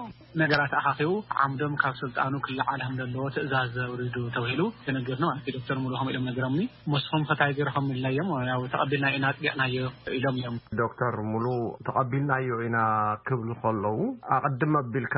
ነገራት ኣኻኺቡ ዓምዶም ካብ ስልጣኑ ክለዓል ከም ዘለዎ ትእዛዝ ዘውሪዱ ተባሂሉ ተነገርኒ ማለት እዩ። ዶክተር ሙሉ ከምኡ ኢሎም ነግሮምኒ። ምስኹም ከታይ ገርኹም ኢልናዮም፣ ያው ተቐቢልና ኢና ኣጽዲቕናዮ ኢሎም እዮም። ዶክተር ሙሉ ተቐቢልናዮ ኢና ክብሉ ከለዉ፣ ኣቐድም ኣቢልካ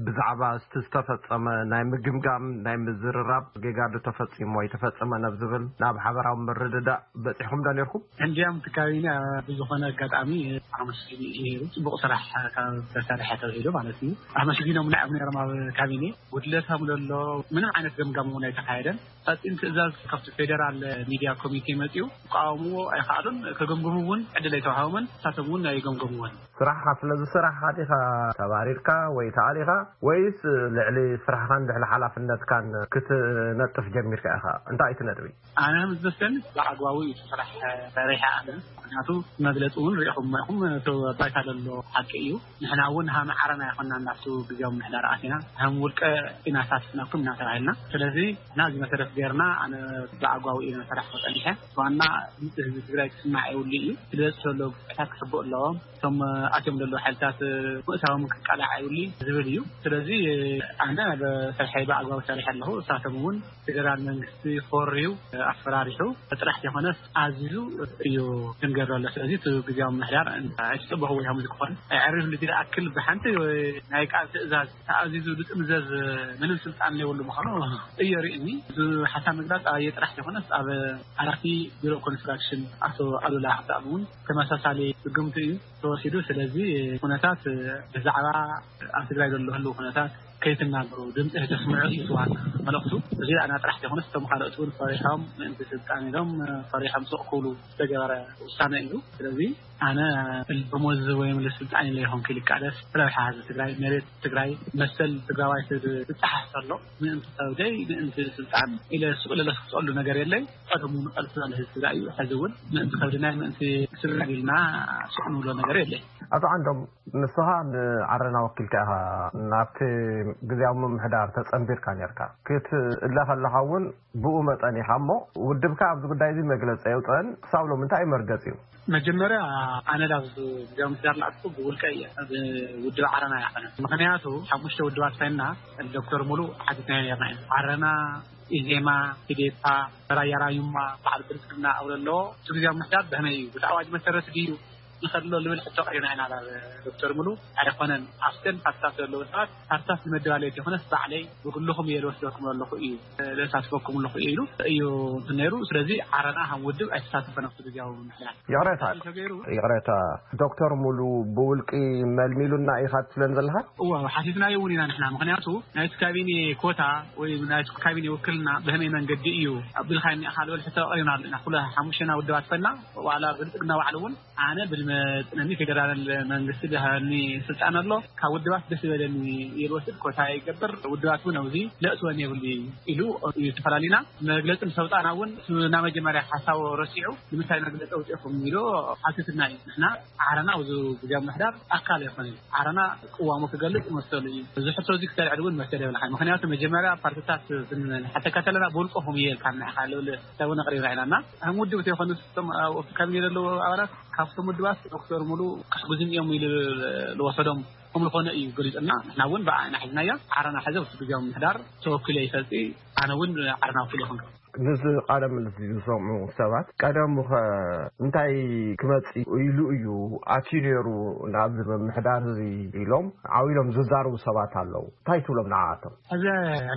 ብዛዕባ እቲ ዝተፈጸመ ናይ ምግምጋም፣ ናይ ምዝርራብ፣ ጌጋ ዶ ተፈጺሙ ወይ ተፈጸመ ናብ ዝብል ናብ ሓበራዊ ምርድዳእ በጺሕኩም ዶ ነርኩም? እንዲያም እቲ ካቢነ ብዝኾነ ኣጋጣሚ ኣመስጊኑ እዩ ነይሩ። ጽቡቕ ስራሕ ካብ ተሰርሐ ተባሂሉ ማለት እዩ። ኣመስጊኖም ንዕም ነይሮም ኣብ ካቢኔ። ጉድለት ከም ዘሎ ምንም ዓይነት ገምጋም እውን ኣይተኻየደን። ቀጢን ትእዛዝ ካብቲ ፌደራል ሚድያ ኮሚቴ መጺኡ ክቃወምዎ ኣይኸኣሉን። ከገምግሙ እውን ዕድል ኣይተዋሃቦምን። ንሳቶም እውን ኣይገምገምዎን። ስራሕኻ ስለ ዝሰራሕኻ ዲኻ ተባሪርካ ወይ ተኣሊኻ፣ ወይስ ልዕሊ ስራሕኻን ልዕሊ ሓላፍነትካን ክትነጥፍ ጀሚርካ ኢኻ? እንታይ እዩ እቲ ነጥቢ? ኣነ ከም ዝመስለኒ ብኣግባቡ እዩ እቲ ስራሕ ሰሪሐ ኣነ። ምክንያቱ መግለፂ እውን ሪኢኹም ኢኹም፣ እቲ እታ ዘሎ ሓቂ እዩ። ንሕና እውን ሃም ዓረና ይኮና እንዳቱ ግዜያዊ ምሕዳር ኣቲና ሃም ውልቀ ኢና ሳትፍናኩም እናተባሂልና። ስለዚ ንሕና እዚ መሰረት ገይርና ኣነ ብኣግባቡ እየ ሰራሕ መጠኒሐ ዋና ድምፂ ህዝቢ ትግራይ ክስማዕ የብሉ እዩ። ስለዚ ዘሎ ግፍዕታት ክሕብኡ ኣለዎም። እቶም ኣትዮም ዘለዉ ሓይልታት ምእታዎም ክቃላዕ የብሉ ዝብል እዩ። ስለዚ ኣነ ብስርሐይ ብኣግባቡ ሰሪሐ ኣለኹ። እሳቶም እውን ፌደራል መንግስቲ ኮርዩ ኣፈራሪሑ ጥራሕ ዘይኮነስ ኣዚዙ እዩ ክንገብር ኣሎ። ስለዚ እቲ ግዜያዊ ምምሕዳር ኣይትፅበኹ ወይ ከምዚ ክኾን ኣይዕርፍ ልቲ ዝኣክል ብሓንቲ ናይ ቃል ትእዛዝ ተኣዚዙ ዝጥምዘዝ ምንም ስልጣን ዘይብሉ ምዃኑ እዩ ርእኒ። እዚ ሓሳብ ምግላፅ ኣየ ጥራሕ ዘይኮነስ ኣብ ሓላፊ ቢሮ ኮንስትራክሽን ኣቶ ኣሉላ ሓሳብ እውን ተመሳሳሊ ስጉምቲ እዩ ተወሲዱ። ስለዚ ኩነታት ብዛዕባ ኣብ ትግራይ ዘሎ ህልው ኩነታት ከይትናገሩ ድምፂ ተስምዑ እዩ ዋና መልእኽቱ። እዚ ኣና ጥራሕ ዘይኮነስ እቶም ካልኦት እውን ፈሪሖም ምእንቲ ስልጣን ኢሎም ፈሪሖም ስቕ ክብሉ ዝተገበረ ውሳነ እዩ። ስለዚ ኣነ ደሞዝ ወይም ስልጣን ኢለ ይኾንኩ ኢሉ ይቃለስ። ረብሓ ህዝቢ ትግራይ፣ መሬት ትግራይ፣ መሰል ትግራዋይ ዝጠሓስ ዘሎ ምእንቲ ከብደይ ምእንቲ ስልጣን ኢለ ስቕ ኢለ ለስክሰሉ ነገር የለይ። ቀደሙ ንቐልሱ ዘሎ ህዝቢ ትግራይ እዩ። ሕዚ እውን ምእንቲ ከብድናይ ምእንቲ ስልጣን ኢልና ስቕ ንብሎ ነገር የለይ። ኣቶ ዓንዶም፣ ንስኻ ንዓረና ወኪልካ ኢኻ ናብቲ ግዜያዊ ምምሕዳር ተጸንቢርካ ነርካ። ክትእለ ከለኻ እውን ብኡ መጠን ኢኻ እሞ፣ ውድብካ ኣብዚ ጉዳይ እዚ መግለጺ ኣየውጸአን። ክሳብ ሎሚ እንታይ እዩ መርገጺኡ? መጀመርያ ኣነ ላብ ግዜያዊ ምምሕዳር ናትኩ ብውልቀ እየ፣ ብውድብ ዓረና ኣይኮነን። ምኽንያቱ ሓሙሽተ ውድባት ኮይንና ዶክተር ሙሉ ሓቲትናዮ ነርና ኢና። ዓረና፣ ኢዜማ፣ ኢዴፓ፣ ራያ ራዩማ፣ በዓል ብልጽግና ኣብ ዘለዎ እቲ ግዜያዊ ምምሕዳር ብኸመይ እዩ? ብቲ ኣዋጅ መሰረት ድዩ ንኸድሎ ልብል ሕቶ ቀሪብና ኢና ናብ ዶክተር ሙሉ። ኣይኮነን፣ ኣብተን ፓርትታት ዘለዉ ሰባት ፓርትታት ንመደባለየት ይኾነስ ባዕለይ ብግልኹም እየ ልወስደኩም ኣለኹ እዩ፣ ለሳትፈኩም ኣለኹ እዩ ኢሉ እዩ እንትን ነይሩ። ስለዚ ዓረና ከም ውድብ ኣይተሳተፈን ኣብቲ ግዜያዊ ምምሕዳር። ይቕሬታ፣ ተገይሩ። ይቕሬታ፣ ዶክተር ሙሉ ብውልቂ መልሚሉና ኢኻ ትብለን ዘለኻ? እዋ፣ ሓቲትናዮ እውን ኢና ንሕና። ምኽንያቱ ናይቲ ካቢኔ ኮታ ወይ ናይቲ ካቢኔ ውክልና ብኸመይ መንገዲ እዩ ኣቢልካ እኒኣኻ ልብል ሕቶ ቀሪብና ኣሎ ኢና። ኩሉ ሓሙሽተና ውድባት ኮይንና ዋላ ብልጽግና ባዕሉ እውን ኣነ ብልመጥነኒ ፌደራል መንግስቲ ዝሃበኒ ስልጣን ኣሎ፣ ካብ ውድባት ደስ ዝበለኒ እየ ዝወስድ፣ ኮታ ይገብር፣ ውድባት እውን ኣብዚ ለእትወን የብሉ ኢሉ እዩ። ተፈላሊና መግለፂ ምስ ኣውፃእና እውን ናብ መጀመርያ ሓሳቡ ረሲዑ ንምንታይ መግለፂ ኣውፂእኹም ኢሉ ሓቲትና እዩ። ንሕና ዓረና ኣብዚ ግዜያዊ ምምሕዳር ኣካል ኣይኮነን። ዓረና ቅዋሙ ክገልፅ መሰሉ እዩ። እዚ ሕቶ እዚ ክተልዕል እውን መሰል የብልካን። ምኽንያቱ መጀመርያ ፓርትታት ክንሓተካ ከለና ብውልቅኹም እየ ኢልካና ኢኻ ልብል ሕሳብ እውን ኣቕሪብና ኢና እና ከም ውድብ ተይኮኑስ እቶም ኣብ ካቢኔ ዘለዉ ኣባላት ካብቶም ውድባት ዶክተር ሙሉ ክሕግዙን እዮም ኢሉ ዝወሰዶም ከም ዝኾነ እዩ ገሊፁና። ንሕና እውን ብዓይና ሒዝናዮ። ዓረና ሕዚ ኣብቲ ግዜያዊ ምምሕዳር ተወኪሉ ይፈልጢ። ኣነ እውን ዓረና ወኪል ይኹን። ነዚ ቃለ ምልልስ ዝሰምዑ ሰባት ቀደሙ ኸ እንታይ ክመጽእ ኢሉ እዩ ኣትዩ ነይሩ ናብዚ ምምሕዳር እዚ ኢሎም ዓው ኢሎም ዝዛረቡ ሰባት ኣለዉ። እንታይ ትብሎም ንዓኣቶም? ሕዚ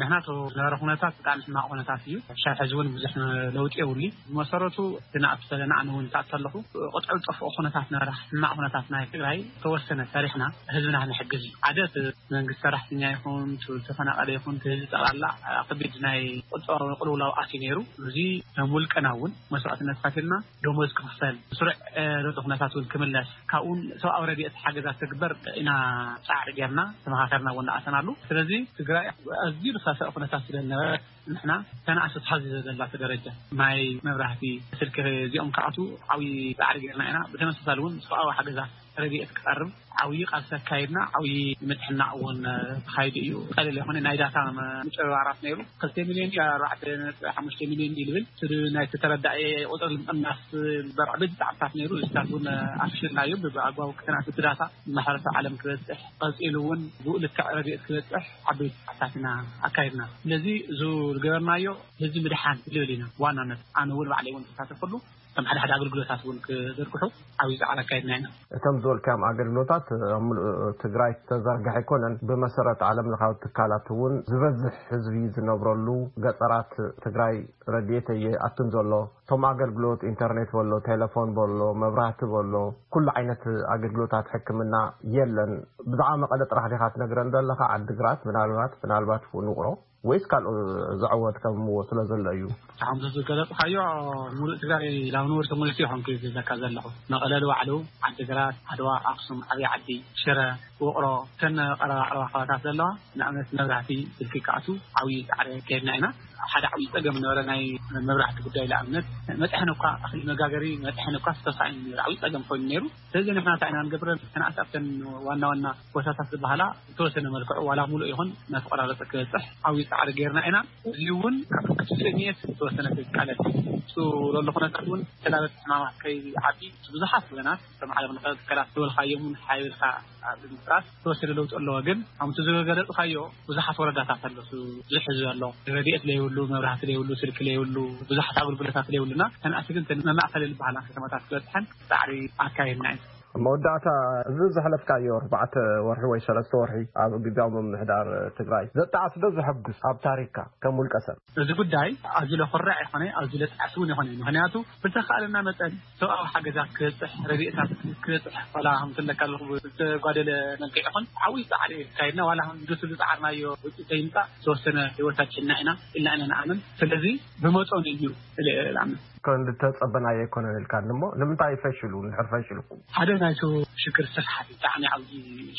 ንሕና እቲ ዝነበረ ኩነታት ብጣዕሚ ሕማቕ ኩነታት እዩ። ክሳብ ሕዚ እውን ብዙሕ ለውጢ የብሉን። ብመሰረቱ እቲ ንኣቱ ዘለና ኣነ እውን ተኣቱ ኣለኹ። ቅጥዑ ዝጠፍኦ ኩነታት ነበረ። ሕማቕ ኩነታት ናይ ትግራይ ተወሰነ ሰሪሕና ህዝብና ክንሕግዝ እዩ። ሓደ እቲ መንግስቲ ሰራሕተኛ ይኹን፣ እቲ ዝተፈናቐለ ይኹን፣ እቲ ህዝቢ ጠቕላላ ኣብ ከቢድ ናይ ቁጠባዊ ቅልውላው ኣትዩ ነይሩ። እዚ ከም ውልቀና እውን መስዋዕትነት ከፊልና ደሞዝ ክኽፈል፣ ስሩዕ፣ እ፣ ዘሎ ኩነታት እውን ክምለስ፣ ካብኡን ሰብኣዊ ረድኤት ሓገዛት ትግበር ኢና ጻዕሪ ጌርና ተመኻኸርና እውን ንኣተናሉ። ስለዚ ትግራይ ኣዝዩ ዝኸፍአ ኩነታት ስለ ዝነበረ ንሕና ተናእሰት ሓዚ ዘለቶ ደረጃ ማይ፣ መብራህቲ፣ ስልኪ እዚኦም ክኣትዉ ዓብዪ ጻዕሪ ጌርና ኢና። ብተመሳሳሊ እውን ሰብኣዊ ሓገዛት ረድኤት ክቐርብ ዓብዪ ቃልሲ ኣካይድና። ዓብዪ ምትሕናቕ እውን ተኻይዱ እዩ። ቀሊል ኣይኮነ ናይ ዳታ ምጭብርባራት ነይሩ። ክልተ ሚልዮን ድዩ ኣርባዕተ ነጥቢ ሓሙሽተ ሚልዮን ድዩ ዝብል እቲ ናይቲ ተረዳኢ ቁፅሪ ምቕናስ ዝግበር ዓበይቲ ፃዕርታት ነይሩ። እዚታት እውን ኣፍሽልናዮ። ብኣግባቡ ክተናስ እቲ ዳታ ማሕበረሰብ ዓለም ክበፅሕ፣ ቀፂሉ እውን ብኡ ልክዕ ረድኤት ክበፅሕ ዓበይቲ ፃዕርታት ኢና ኣካይድና። ስለዚ እዚ ዝገበርናዮ ህዝቢ ምድሓን ዝብል ኢና ዋናነት። ኣነ እውን ባዕለይ እውን ተሳተፈሉ። ከም ሓደ ሓደ ኣገልግሎታት እውን ክዘርግሑ ዓብዪ ፃዕሪ ኣካይድና ኢና። እቶም ዝበልካዮም ኣገልግሎታት ኣብ ምሉእ ትግራይ ተዘርግሐ ኣይኮነን። ብመሰረት ዓለም ለኻዊ ትካላት እውን ዝበዝሕ ህዝቢ ዝነብረሉ ገጠራት ትግራይ ረድኤት እየኣቱን ዘሎ። እቶም ኣገልግሎት ኢንተርኔት በሎ፣ ቴሌፎን በሎ፣ መብራህቲ በሎ፣ ኩሉ ዓይነት ኣገልግሎታት ሕክምና የለን። ብዛዕባ መቐለ ጥራሕ ዲኻ ትነግረን ዘለኻ? ዓዲግራት ምናልባት፣ ምናልባት እውን ውቕሮ ወይስ ካልኦ ዘዕወት ከምዎ ስለ ዘሎ እዩ? ከምዚ ዝገለጽካዮ ሙሉእ ትግራይ ኣብ ንቡር ተመልኪ ይኾንኩ ዝብለካ ዘለኹ። መቐለ ንባዕሉ፣ ዓዲግራት፣ ዓድዋ፣ ኣኽሱም፣ ዓብዪ ዓዲ፣ ሽረ፣ ውቕሮ፣ እተን ቀረባ ቀረባ ከባታት ዘለዋ፣ ንኣብነት መብራህቲ፣ ስልኪ ክኣቱ ዓብዪ ፃዕሪ ከይድና ኢና። ሓደ ዓብዪ ፀገም ነበረ ናይ መብራህቲ ጉዳይ። ንኣብነት መጥሐን እኳ፣ እኽሊ መጋገሪ መጥሐን እኳ ዝተሳእዩ ነይሩ፣ ዓብዪ ፀገም ኮይኑ ነይሩ። ስለዚ ንሕና እንታይ ኢና ንገብር? ተናእስ ኣብተን ዋና ዋና ቦታታት ዝበሃላ ዝተወሰነ መልክዑ ዋላ ሙሉእ ይኹን እናተቆራረፀ ክበፅሕ ዓብዪ ፃዕሪ ጌርና ኢና። እዚ እውን ካብ ትፅንየት ዝተወሰነ ክቃለል እሱ ዘሎ ኩነታት እውን ተላበት ሕማማት ከይዓቢ ብዙሓት ወገናት ከም ዓለም ለኸ ትካላት ዝበልካዮም እውን ሓቢርካ ኣብ ምፍራስ ዝተወሰነ ለውጢ ኣለዎ። ግን ከምቲ ዝገለፅካዮ ብዙሓት ወረዳታት ኣሎ፣ እሱ ብዙሕ ህዝቢ ኣሎ፣ ረድኤት ለይብሉ፣ መብራህቲ ለይብሉ፣ ስልኪ ለይብሉ፣ ብዙሓት ኣገልግሎታት ለይብሉና ተንኣሲ ግን መማእኸሊ ዝበሃላ ከተማታት ክበፅሐን ፃዕሪ ኣካይድና እዩ። ኣብ መወዳእታ፣ እዚ ዘሕለፍካዮ ኣርባዕተ ወርሒ ወይ ሰለስተ ወርሒ ኣብ ግዝያዊ ምምሕዳር ትግራይ ዘጣዕስ ዶ ዘሐጉስ ኣብ ታሪክካ ከም ውልቀ ሰብ? እዚ ጉዳይ ኣዝዩ ለኹርዕ ይኾነ፣ ኣዝዩ ለጣዕስ እውን ይኾነ። ምኽንያቱ ብዝተኻእለና መጠን ሰብኣዊ ሓገዛት ክበፅሕ፣ ረድኤታት ክበፅሕ፣ ዋላ ከም ትብለካ ዘለኹ ብዝተጓደለ መልክዕ ይኹን ዓብዪ ፃዕሪ ካይድና፣ ዋላ ከም ድቱ ዝፃዓርናዮ ውፅኢት ዘይምፃእ ዝተወሰነ ህይወት ኣድሒንና ኢና ኢልና ኢና ንኣምን። ስለዚ ብመጠኑ እዩ ኢለ እየ ዝኣምን። ከም ዝተጸበናዮ ኣይኮነን ኢልካኒ እሞ ንምንታይ ፈሽሉ? እንድሕር ፈሽሉ? ሓደ ናይቱ ሽግር ስፍሓት ብጣዕሚ ዓብዪ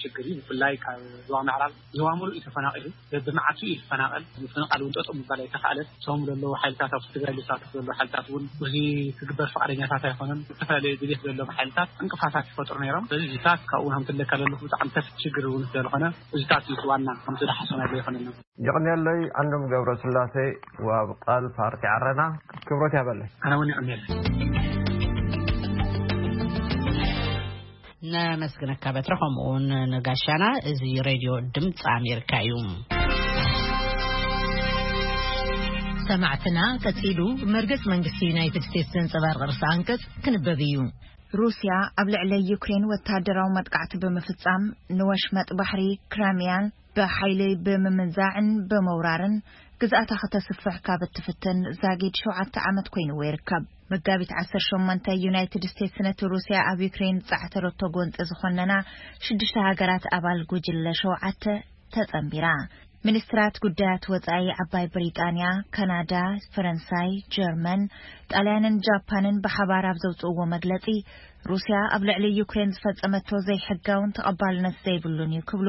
ሽግር እዩ። ብፍላይ ካብ ዞባ ምዕራብ ዞባ ሙሉእ እዩ ተፈናቒሉ። በብመዓልቱ እዩ ዝፈናቐል። ምፍንቓል እውን ጠጠው ምባል ኣይተኻእለን። እቶም ዘለዉ ሓይልታት፣ ኣብቲ ትግራይ ዝሳተፉ ዘለዉ ሓይልታት እውን እዚ ክግበር ፍቓደኛታት ኣይኮኑን። ዝተፈላለዩ ድሌት ዘለዎም ሓይልታት ዕንቅፋታት ይፈጥሩ ነይሮም። ስለዚ እዚታት ካብኡ እውን ከምትለካ ዘለኹ ብጣዕሚ ሰፊሕ ሽግር እውን ስለዝኾነ እዚታት እዩ ዋና ከምቲ ዝሓሰብናዮ ዘይኮነና። የቐንየለይ ዓንዶም ገብረስላሴ፣ ወሃቢ ቃል ፓርቲ ዓረና። ክብረት ያበለይ። ኣነ እውን የቐንየለይ። ነመስግነካ በትረ፣ ከምኡ እውን ንጋሻና። እዚ ሬድዮ ድምፂ ኣሜሪካ እዩ። ሰማዕትና፣ ቀጺሉ መርገጽ መንግስቲ ዩናይትድ ስቴትስ ዘንጸባርቕ ርእሰ ኣንቀጽ ክንበብ እዩ። ሩስያ ኣብ ልዕሊ ዩክሬን ወታደራዊ መጥቃዕቲ ብምፍጻም፣ ንወሽመጥ ባሕሪ ክራሚያን ብሓይሊ ብምምንዛዕን ብምውራርን ግዝኣታ ከተስፍሕ ካብ እትፍትን ዛጊድ ሸውዓተ ዓመት ኮይንዎ ይርከብ። መጋቢት ዓሰርተ ሸሞንተ፣ ዩናይትድ ስቴትስ ነቲ ሩስያ ኣብ ዩክሬን ዝጻዕተረቶ ጎንጺ ዝኾነና ሽዱሽተ ሃገራት ኣባል ጉጅለ ሸውዓተ ተጸንቢራ። ሚኒስትራት ጉዳያት ወጻኢ ዓባይ ብሪጣንያ፣ ካናዳ፣ ፈረንሳይ፣ ጀርመን፣ ጣልያንን ጃፓንን ብሓባር ኣብ ዘውጽእዎ መግለጺ፣ ሩስያ ኣብ ልዕሊ ዩክሬን ዝፈጸመቶ ዘይሕጋውን ተቐባልነት ዘይብሉን እዩ ክብሉ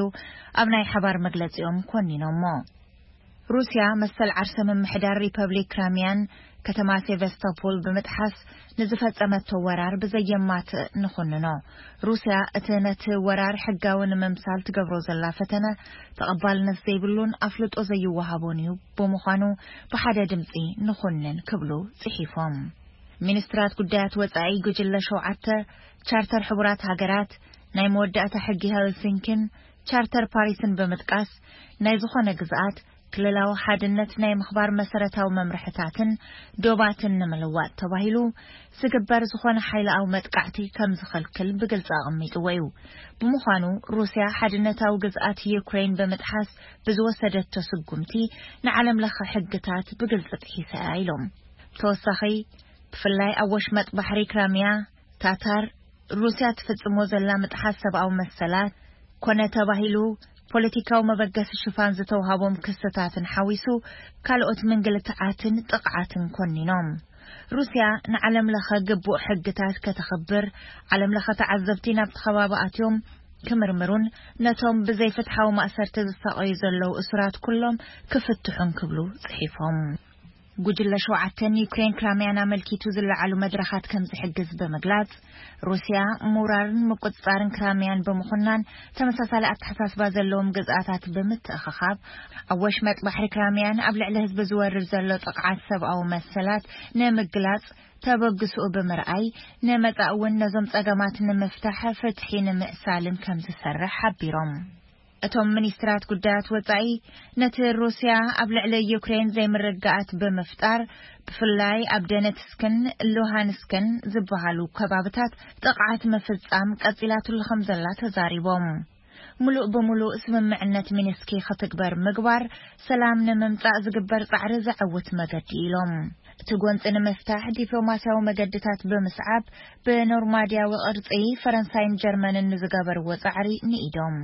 ኣብ ናይ ሓባር መግለጺኦም ኮኒኖሞ። ሩስያ መሰል ዓርሰ ምምሕዳር ሪፐብሊክ ክራሚያን ከተማ ሴቨስቶፖል ብምጥሓስ ንዝፈጸመቶ ወራር ብዘየማትእ ንኹንኖ። ሩስያ እቲ ነቲ ወራር ሕጋዊ ንምምሳል ትገብሮ ዘላ ፈተነ ተቐባልነት ዘይብሉን ኣፍልጦ ዘይወሃቦን እዩ፣ ብምዃኑ ብሓደ ድምጺ ንኹንን ክብሉ ጽሒፎም። ሚኒስትራት ጉዳያት ወጻኢ ጉጅለ ሸውዓተ፣ ቻርተር ሕቡራት ሃገራት፣ ናይ መወዳእታ ሕጊ ሄልሲንኪን ቻርተር ፓሪስን ብምጥቃስ፣ ናይ ዝኾነ ግዝኣት ክልላዊ ሓድነት ናይ ምኽባር መሰረታዊ መምርሕታትን ዶባትን ንምልዋጥ ተባሂሉ ዝግበር ዝኾነ ሓይላዊ መጥቃዕቲ ከም ዝኸልክል ብግልጺ ኣቐሚጥዎ እዩ። ብምዃኑ፣ ሩስያ ሓድነታዊ ግዝኣት ዩክሬን ብምጥሓስ ብዝወሰደቶ ስጉምቲ ንዓለም ለኸ ሕግታት ብግልጺ ጥሒሳ እያ ኢሎም። ብተወሳኺ፣ ብፍላይ ኣብ ወሽመጥ ባሕሪ ክራሚያ፣ ታታር፣ ሩስያ ትፍጽሞ ዘላ ምጥሓስ ሰብኣዊ መሰላት ኮነ ተባሂሉ ፖለቲካዊ መበገሲ ሽፋን ዝተውሃቦም ክስታትን ሓዊሱ ካልኦት ምንግልትዓትን ጥቕዓትን ኮኒኖም። ሩስያ ንዓለም ለኸ ግቡእ ሕግታት ከተኽብር፣ ዓለም ለኸ ተዓዘብቲ ናብቲ ከባቢ ኣትዮም ክምርምሩን ነቶም ብዘይፍትሓዊ ማእሰርቲ ዝሳቐዩ ዘለዉ እሱራት ኩሎም ክፍትሑን ክብሉ ጽሒፎም። ጉጅለ ሸውዓተ ንዩክሬን ክራሚያን ኣመልኪቱ ዝለዓሉ መድረኻት ከም ዝሕግዝ ብምግላጽ፣ ሩስያ ምውራርን ምቁጽጻርን ክራሚያን ብምኹናን ተመሳሳሊ ኣተሓሳስባ ዘለዎም ግዝኣታት ብምትእኽኻብ፣ ኣብ ወሽመጥ ባሕሪ ክራሚያን ኣብ ልዕሊ ህዝቢ ዝወርድ ዘሎ ጥቕዓት ሰብኣዊ መሰላት ንምግላጽ ተበግስኡ ብምርኣይ፣ ንመጻኢ እውን ነዞም ጸገማት ንምፍታሕ ፍትሒ ንምዕሳልን ከም ዝሰርሕ ሓቢሮም። እቶም ሚኒስትራት ጉዳያት ወጻኢ፣ ነቲ ሩስያ ኣብ ልዕሊ ዩክሬን ዘይምርግጋኣት ብምፍጣር፣ ብፍላይ ኣብ ደነትስክን ሉሃንስክን ዝበሃሉ ከባብታት ጥቕዓት ምፍጻም ቀጺላትሉ ከም ዘላ ተዛሪቦም። ምሉእ ብምሉእ ስምምዕነት ሚንስኪ ክትግበር ምግባር፣ ሰላም ንምምጻእ ዝግበር ጻዕሪ ዘዐውት መገዲ ኢሎም። እቲ ጎንጺ ንምፍታሕ ዲፕሎማስያዊ መገድታት ብምስዓብ፣ ብኖርማድያዊ ቅርጺ ፈረንሳይን ጀርመንን ንዝገበርዎ ጻዕሪ ንኢዶም።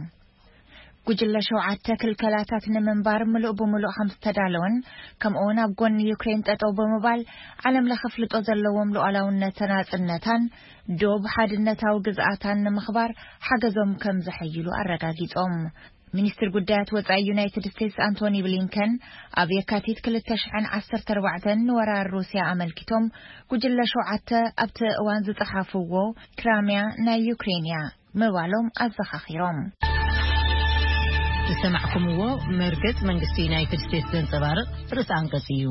ጉጅለ ሸውዓተ ክልከላታት ንምንባር ምሉእ ብምሉእ ከም ዝተዳለወን፣ ከምኡውን ኣብ ጎኒ ዩክሬን ጠጠው ብምባል ዓለም ለኸ ፍልጦ ዘለዎም ሉዓላውነት ተናጽነታን ዶብ ሓድነታዊ ግዝኣታን ንምኽባር ሓገዞም ከም ዘሐይሉ ኣረጋጊጾም። ሚኒስትር ጉዳያት ወጻኢ ዩናይትድ ስቴትስ ኣንቶኒ ብሊንከን ኣብ የካቲት ክልተ ሽሕን ዓሰርተ ኣርባዕተን ንወራር ሩስያ ኣመልኪቶም ጉጅለ ሸውዓተ ኣብቲ እዋን ዝጸሓፍዎ ክራሚያ ናይ ዩክሬን እያ ምባሎም ኣዘኻኺሮም። ዝሰማዕኩምዎ መርገጽ መንግስቲ ዩናይትድ ስቴትስ ዘንጸባርቕ ርእሰ ኣንቀጽ እዩ።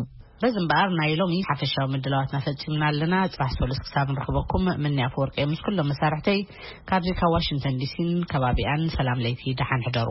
በዚ እምበኣር ናይ ሎሚ ሓፈሻዊ ምድላዋትና ፈጺምና ኣለና። ጽባሕ ሰሉስ ክሳብ ንረኽበኩም ምንያ ኣፈወርቂ ምስ ኩሎም መሳርሕተይ ካብዚ ካብ ዋሽንግተን ዲሲን ከባቢኣን ሰላም ለይቲ ደሓን ሕደሩ።